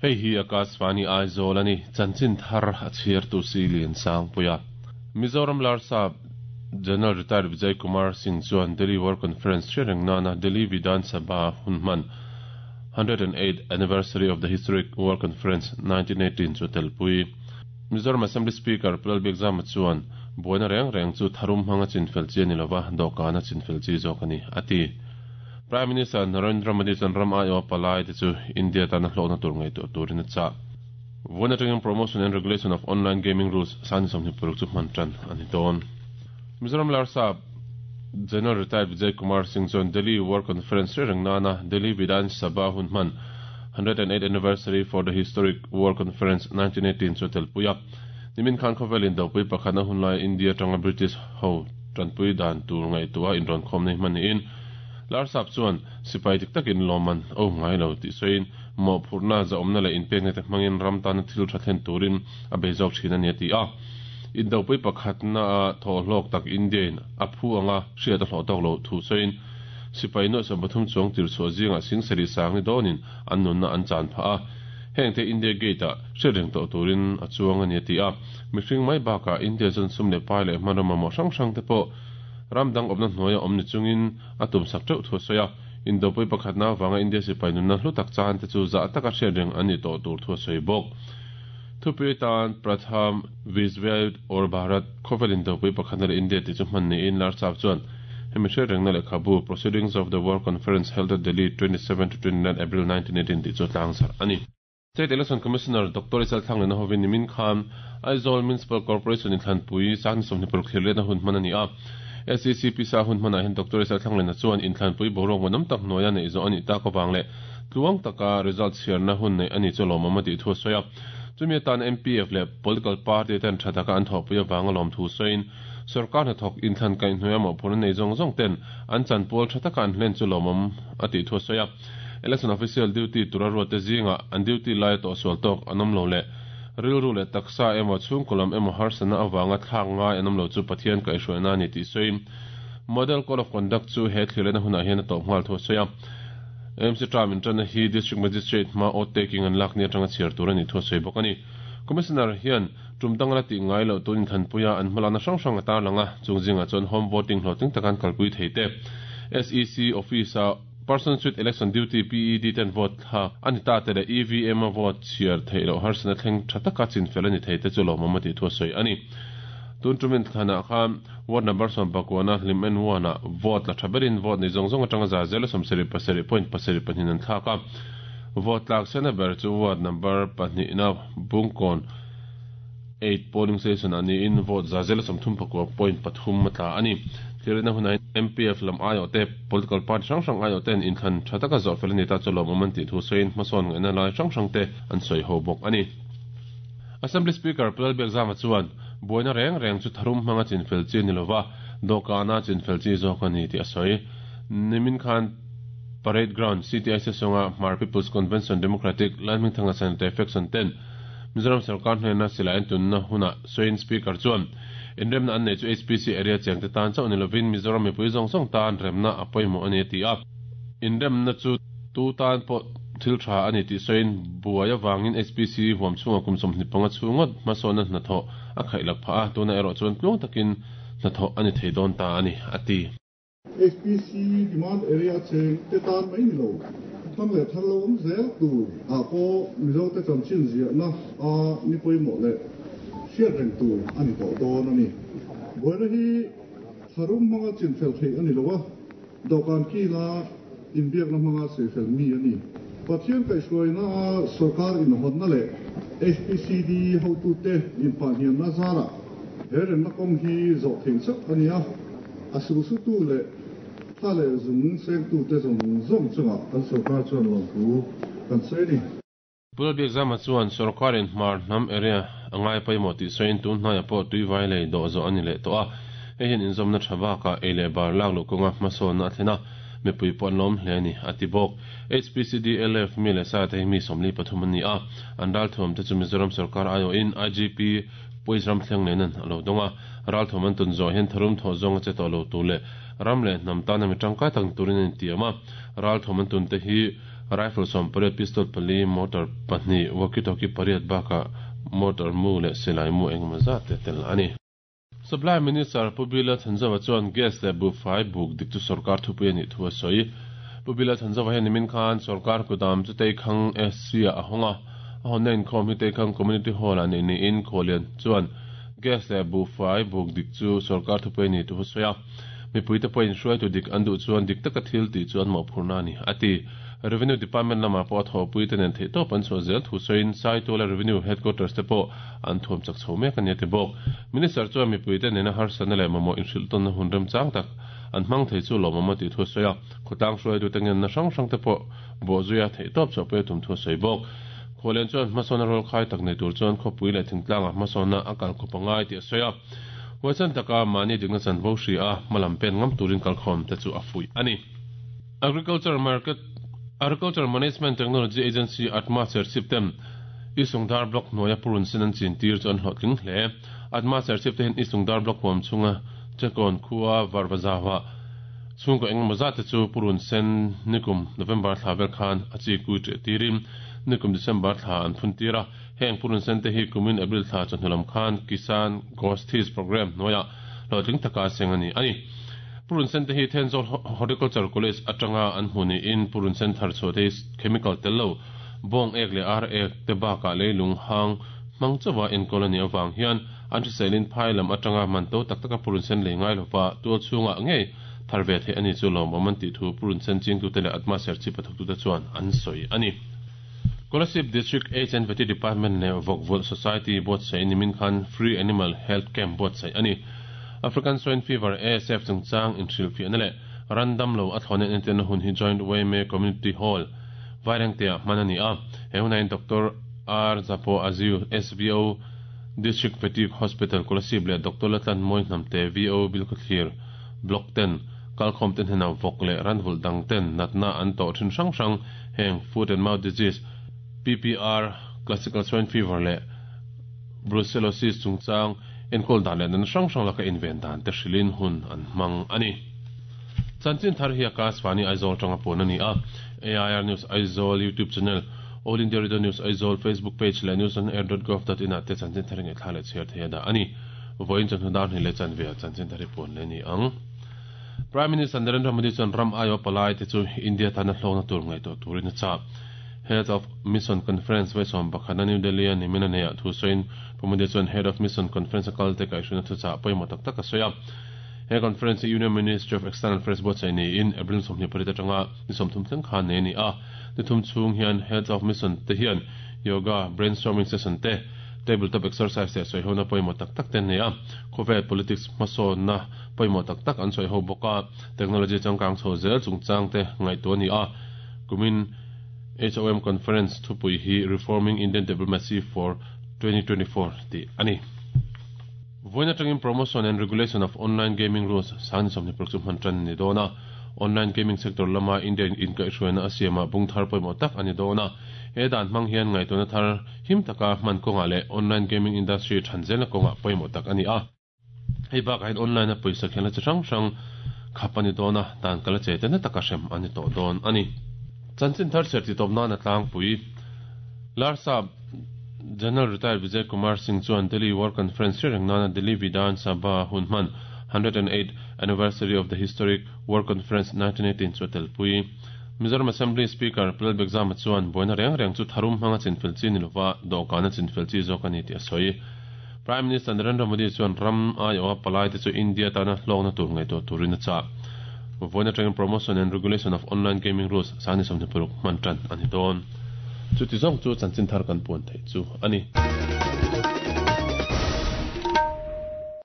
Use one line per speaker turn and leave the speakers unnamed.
Hei hi Akashvani Aizawl a ni, chanchin thar a chhiartu si Liansangpuia. Mizoram Larsap General Retired Vijay Kumar Singh chuan Delhi War Conference hre reng nana Delhi Vidhan Sabha hun hman 108th Anniversary of the Historic War Conference 1918 chu a telpui. Mizoram Assembly Speaker Pu Lalbiakzama chuan buaina reng reng chu tharum hmanga chinfel chi a ni lova, dawhkana chinfel chi zawk a ni, a ti. Prime Minister Narendra Modi chuan ram aiawha palai te chu India tana hlawkna tur ngaihtuah turin a chah. Vawiin atangin Promotion and Regulation of Online Gaming Rules Sani 26 chu hman tan a ni dawn. Mizoram Larsap General Retired Vijay Kumar Singh chuan Delhi War Conference hre reng nana Delhi Vidhan Sabha hun hman 108 Anniversary for the Historic War Conference 1918 chu a telpui a. Nimin khan khawvelin dopui pakhatna hun laia India atanga British ho tanpui dan tur ngaihtuah inrawnkhawmna hi hman niin Larsap chuan sipai dik takin lawmman a um ngai lo tih sawiin mawhphurhna, zahawmna leh inpekna te hmangin ram tana thil tha thlen turin a bei zawk thin a ni a ti a. Indopui pakhatna a thawhhlawk tak India-in a phu anga hriat a hlawh tawk lo thu sawiin sipai nuaih 13 chuang tirchhuah zingah sing sarih sang ni dawnin an nunna an chan phah a, hengte India Gate-ah hriat reng tawh turin a chuang a ni a ti a. Mihring mai bakah India chuan sum leh pai leh hmanraw mamawh hrang hrang te pawh ram dang awmna hnuaia awm ni chungin a tumsak teuh thu a sawi a, Indopui pakhatna avanga India sipai nunna hlu tak chan te chu zah taka hriat reng an ni tawh tur thu a sawi bawk. Thupui tan Pratham Vishwayudh aur Bharat khawvel Indopui pakhatna leh India tih chu hman niin Larchap chuan hemi hriat rengna lehkhabu Proceedings of the War Conference Held at Delhi 27 to 29 April 1918 tih chu a tlangzarh a ni. State Election Commissioner Doctor Isal Thlanglena hovin nimin khan Aizawl Municipal Corporation inthlanpui Sangni 26 thlir letna hun hman a ni a. SEC pisa hun hmanah hian Doctor Isal Thlanglena chuan inthlanpui boruak ngawhnawm tak hnuaia neih zawh a nih tak avang leh tluang taka result chhiarna hun neih a ni chu lawmawm a tih thu a sawi a. Chumi atan MPF leh political party ten tha taka an thawhpui avanga lawmthu sawiin sorkar hnathawk inthlan kaihhnuaia mawhphurhna nei zawng zawng ten an chanpual tha taka an hlen chu lawmawm a tih thu a sawi a. Election official duty tura ruatte zingah an duty laia tawhsual tawk an awm lo leh rilru leh taksa emaw chhungkaw lam emaw harsatna avanga thlak ngai an awm lo chu Pathian kaihhruaina a ni tih sawiin Model Code of Conduct chu he thlirlehna hunah hian a tawp nghal thu a sawi a. AMC term inṭanna hi District Magistrate hma oath taking an lak ni aṭanga chhiar tur a nih thu a sawi bawk a ni. Commissioner hian tum dang la tih ngai loh tun inthanpuia an hmalakna hrang hrang a tarlang a, chung zingah chuan home voting hlawhtling taka an kalpui thei te, SEC office-a Persons with Election Duty, PED, ten vote thlak a ni ta te leh EVM a vote chhiar theih loh harsatna thleng tha taka chinfel a ni thei te chu lawmawm a tih thu a sawi a ni. Tun tumin thlanah khan ward number 19 hlim en one ah vote la tha berin vote nei zawng zawng atanga za zela 77 point pasarih pahnih an thlak a. Vote tlak sena ber chu ward number pahnihna Bungkawn eight polling station ah niin vote za zela 39 point pathum a tla a ni. Thilrina hunah hian MPF lam aiawh te, political party hrang hrang aiawh ten inthlan tha taka zawh fel a ni ta chu lawmawm an tih thu sawiin hmasawn ngaihna lai hrang hrang te an sawi ho bawk a ni. Assembly Speaker Pu Lalbiakzama chuan buaina reng reng chu tharum hmanga chinfel chi a ni lova, dawhkana chinfel chi zawk a ni tih a sawi. Nimin khan Parade Ground, CTIC sawnga Hmar People's Convention Democratic Lalhmingthanga Sanitary Faction ten Mizoram sorkar hnena silai an tunna hunah sawiin Speaker chuan inremna an neih chu HPC area chengte tan chauh ni lovin Mizoram mipui zawng zawng tan remna a pawimawh a ni a ti a. Inremna chu tu tan pawh thil tha a ni tih sawiin buai avangin HPC huam chhungah kum 25 chhung ngawt hmasawnna hnathawh a khaihlak phah a, tunah erawh chuan tluang takin hnathawh a ni thei dawn ta a ni a ti.
HPC demand area cheng te tan mai ni lo, thang leh thar lo awm zel tur ah pawh Mizote chanchin ziahna a ni pawimawh leh hriat reng tur a ni tawh dawn a ni. Buaina hi tharum hmanga chinfel theih a ni lo a, dawhkan kila inbiakna hmanga saifel mi a ni. Pathian kaihhruaina a sorkar inhawnna leh HPCD hotute inpahniamna zarah he remna kawng hi zawh theih chauh a ni a. A sulsutu leh thla leh zung sengtute zawng zawng chungah kan sorkar chuan lawmthu kan sawi a ni.
Pu Lalbiakzama chuan sorkarin Hmar hnam area a ngai pawimawh tih sawiin tun hnaiah pawh tuivai lei dawh zawh a ni leh tawh a, hei hian inzawmna tha bakah ei leh bar lak luh kawnga hmasawnna a thlen a, mipui pawh an lawm hle a ni, a ti bawk. HPCDLF mi leh sa te hi mi 43 an ni a, an ralthuam te chu Mizoram sorkar aiawhin IGP Puiz Ramthleng nen an a lo dawng a. Ralthawm an tun zawh hian tharum thawh zawng a che tawh lo tur leh ram leh hnam tana mi tangkai tak ni turin an intiam a. Ralthawm an tun te hi Rifle 18, pistol 4, mortar 2, walkie-talkie 8 bakah mortar mu leh silai mu engemaw zat te tel a ni. Supply Minister Pu Bila Thanzauva chuan gas leh buhfai buk dik chu sorkar thupui a nih thu a sawi. Pu Bila Thanzauva hian nimin khan sorkar kudam chu Teikhang SC-ah a hawng a, a hawnna inkhawm hi Teikhang Community Hall-ah neih niin Khawlian chuan gas leh buhfai buk dik chu sorkar thupui a nih thu a sawi a. Mipuite pawhin hruaitu dik an duh chuan dik taka thil tih chu an mawhphurhna a ni, a ti. Revenue Department lamah pawh a thawhpuite nen theihtawp an chhuah zel thu sawiin Saituala Revenue Headquarters te pawh an thuam chak chho mek a ni a ti bawk. Minister chuan mipuite nena harsatna leh mamawh inhrilhtawnna hun remchang tak an hmang thei chu lawmawm a tih thu a sawi a. Khawtlang hruaitute ngenna hrang hrang te pawh bawhzuia theihtawp chhuahpui a tum thu a sawi bawk. Khualian chuan hmasawnna rawlkhai tak nei tur chuan khawpui leh thingtlangah hmasawnna a kalkawp a ngai tih a sawi a. Huaisan taka mahni dikna chanvo hria a, hmalam pen ngam turin kalkhawm te chu a fuih a ni. Agriculture Market Agriculture Management Technology Agency, ATMA, Serchhip ten Isungdar Block hnuaia purun sen an chin tir chu an hlawhtling hle. ATMA Serchhip te hian Isungdar Block huam chhunga Chekawn khua Varvazaua chhungkaw engemaw zat te chu purun sen nikum November thla vel khan a chi kui ṭeh tirin nikum December thla an phun tir a. Heng purun sen te hi kumin April thla chawhnu lam khan Kisan Gosthis Programme hnuaiah hlawhtling taka seng a ni a ni. Purun sen te hi Thenzawl Horticulture College atanga an hmu niin purun sen thar chhuah te hi chemical tel lo, bawng ek leh ar ek te bakah leilung hang hmang chauha enkawl a nih avang hian an hriselin phai lam atanga man to tak taka purun sen lei ngai lova tual chhungah ngei thar ve theih a ni chu lawmawm an tih thu purun sen chingtute leh Atma Serchhip a thawktute chuan an sawi a ni. Kolasib District Aids and Vety Department leh Vawkvulh Society buatsaih nimin khan Free Animal Health Camp buatsaih a ni. African Swine Fever, ASF, chungchang inhrilhfiahna leh ran damlo a thlawhna entirna hun hi Joint YMA Community Hall, Vairengte-ah hman a ni a. He hunah hian Doctor R Zapo Aziu, SVO, District Vety Hospital, Kolasib leh Doctor Latlan Mawi Hnamte, VO, Bilkhawthlir Block ten kalkhawmte hnenah vawk leh ranvulh dang ten natna an tawh thin hrang hrang Heng foot and mouth disease, PPR, classical swine fever leh brucellosis chungchang enkawl dan leh natna hrang hrang laka inven dan te hrilhin hun an hmang a ni. Chanchin thar hi Akashvani Aizawl atanga puan a ni a, AIR News Aizawl YouTube channel, All India Radio News Aizawl Facebook page leh newsonair.gov.in ah te chanchin thar hi ngaihthla leh chhiar thei a dah a ni. Vawiin chawhnu dar hnih leh chanve ah chanchin thar hi puan leh a ni ang. Prime Minister Narendra Modi chuan ram aiawh palai te chu India tana hlawkna tur ngaihtuah turin a chah. Head of Mission Conference vawisawm pakhatna New Delhi a nimin a neihah thu sawiin Pu Modi chuan Head of Mission Conference a kal te kaihhruaina thuchah pawimawh tak tak a sawi a. He conference hi Union Ministry of External Affairs buatsaih niin April 28 atanga ni 30 thleng khan nei a ni a. Ni thum chhung hian Heads of Mission te hian Yoga, Brainstorming session te, Table top exercise leh sawihona pawimawh tak tak te an nei a. Khawvel politics hmasawnna pawimawh tak tak an sawi ho bawk a, technology changkang chho zel chungchang te ngaihtuah a ni a. Kumin HOM Conference thupui hi Reforming Indian Diplomacy for 2024 tih a ni. Vawiin atangin Promotion and Regulation of Online Gaming Rules sang ni 26 chu hman tan a ni dawn a. Online gaming sector lama India in inkaihhruaina a siamah bung thar pawimawh tak a ni dawn a. He dan hmang hian ngaihtuahna thar him taka hman kawngah leh online gaming industry than zelna kawngah pawimawh tak a ni a. Hei bakah hian online a pawisa khelna chi hrang hrang khap a ni dawn a, dan kal a che te na taka hrem a ni tawh dawn a ni. Chanchin thar chhiar tih tawp nan a tlangpui. Larsap General Retired Vijay Kumar Singh chuan Delhi War Conference hre reng nana Delhi Vidhan Sabha hun hman 108 Anniversary of the Historic War Conference 1918 chu a telpui. Mizoram Assembly Speaker Pu Lalbekzama chuan buaina reng reng chu tharum hmanga chinfel chi ni lova dawhkana chinfel chi zawk a ni tih a sawi. Prime Minister Narendra Modi chuan ram aiawha palaite chu India tana hlawkna tur ngaihtuah turin a chah. Vawiin atangin Promotion and Regulation of Online Gaming Rules sang ni 26 hman tan a ni dawn. Chuti zawng chu chanchin thar kan puan theih chu a ni.